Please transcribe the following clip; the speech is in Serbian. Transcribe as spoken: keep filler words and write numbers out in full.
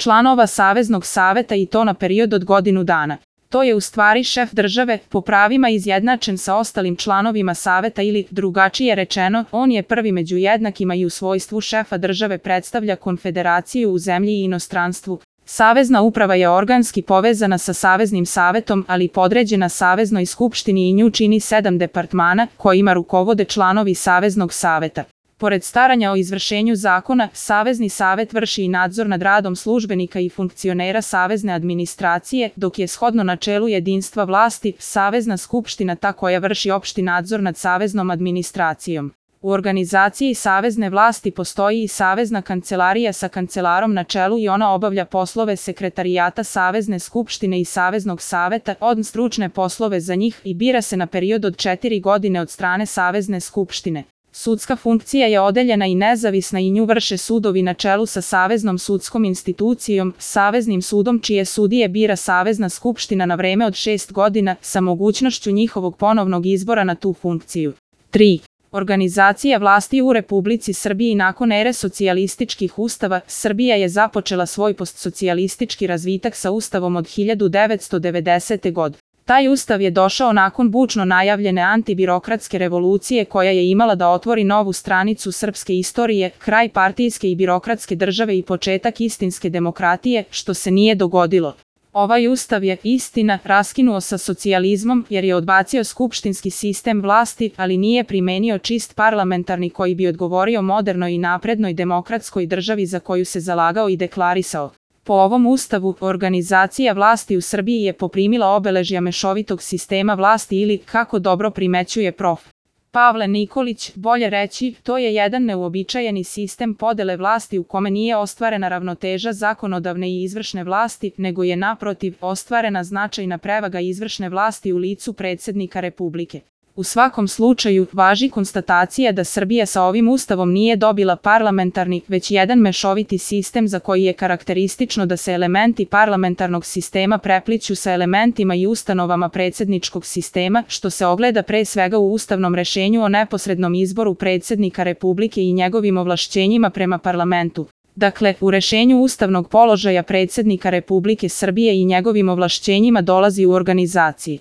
članova Saveznog saveta i to na period od godinu dana. To je u stvari šef države, po pravima izjednačen sa ostalim članovima saveta ili, drugačije rečeno, on je prvi među jednakima i u svojstvu šefa države predstavlja konfederaciju u zemlji i inostranstvu. Savezna uprava je organski povezana sa Saveznim savetom, ali podređena Saveznoj skupštini i nju čini sedam departmana, kojima rukovode članovi Saveznog saveta. Pored staranja o izvršenju zakona, Savezni savet vrši i nadzor nad radom službenika i funkcionera savezne administracije, dok je shodno načelu jedinstva vlasti, Savezna skupština ta koja vrši opšti nadzor nad saveznom administracijom. U organizaciji savezne vlasti postoji i Savezna kancelarija sa kancelarom na čelu i ona obavlja poslove sekretarijata Savezne skupštine i Saveznog saveta, od stručne poslove za njih i bira se na period od četiri godine od strane Savezne skupštine. Sudska funkcija je odeljena i nezavisna i nju vrše sudovi na čelu sa Saveznom sudskom institucijom, Saveznim sudom čije sudije bira Savezna skupština na vreme od šest godina sa mogućnošću njihovog ponovnog izbora na tu funkciju. tri. Organizacija vlasti u Republici Srbiji. Nakon ere socijalističkih ustava, Srbija je započela svoj postsocijalistički razvitak sa ustavom od hiljadu devetsto devedesete. godine. Taj ustav je došao nakon bučno najavljene antibirokratske revolucije koja je imala da otvori novu stranicu srpske istorije, kraj partijske i birokratske države i početak istinske demokratije, što se nije dogodilo. Ovaj ustav je, istina, raskinuo sa socijalizmom jer je odbacio skupštinski sistem vlasti, ali nije primenio čist parlamentarni koji bi odgovorio modernoj i naprednoj demokratskoj državi za koju se zalagao i deklarisao. Po ovom ustavu, organizacija vlasti u Srbiji je poprimila obeležja mešovitog sistema vlasti ili, kako dobro primećuje prof. Pavle Nikolić, bolje reći, to je jedan neuobičajeni sistem podele vlasti u kome nije ostvarena ravnoteža zakonodavne i izvršne vlasti, nego je naprotiv ostvarena značajna prevaga izvršne vlasti u licu predsjednika Republike. U svakom slučaju, važi konstatacija da Srbija sa ovim ustavom nije dobila parlamentarni, već jedan mešoviti sistem za koji je karakteristično da se elementi parlamentarnog sistema prepliću sa elementima i ustanovama predsjedničkog sistema, što se ogleda pre svega u ustavnom rešenju o neposrednom izboru predsjednika Republike i njegovim ovlašćenjima prema parlamentu. Dakle, u rešenju ustavnog položaja predsjednika Republike Srbije i njegovim ovlašćenjima dolazi u organizaciji.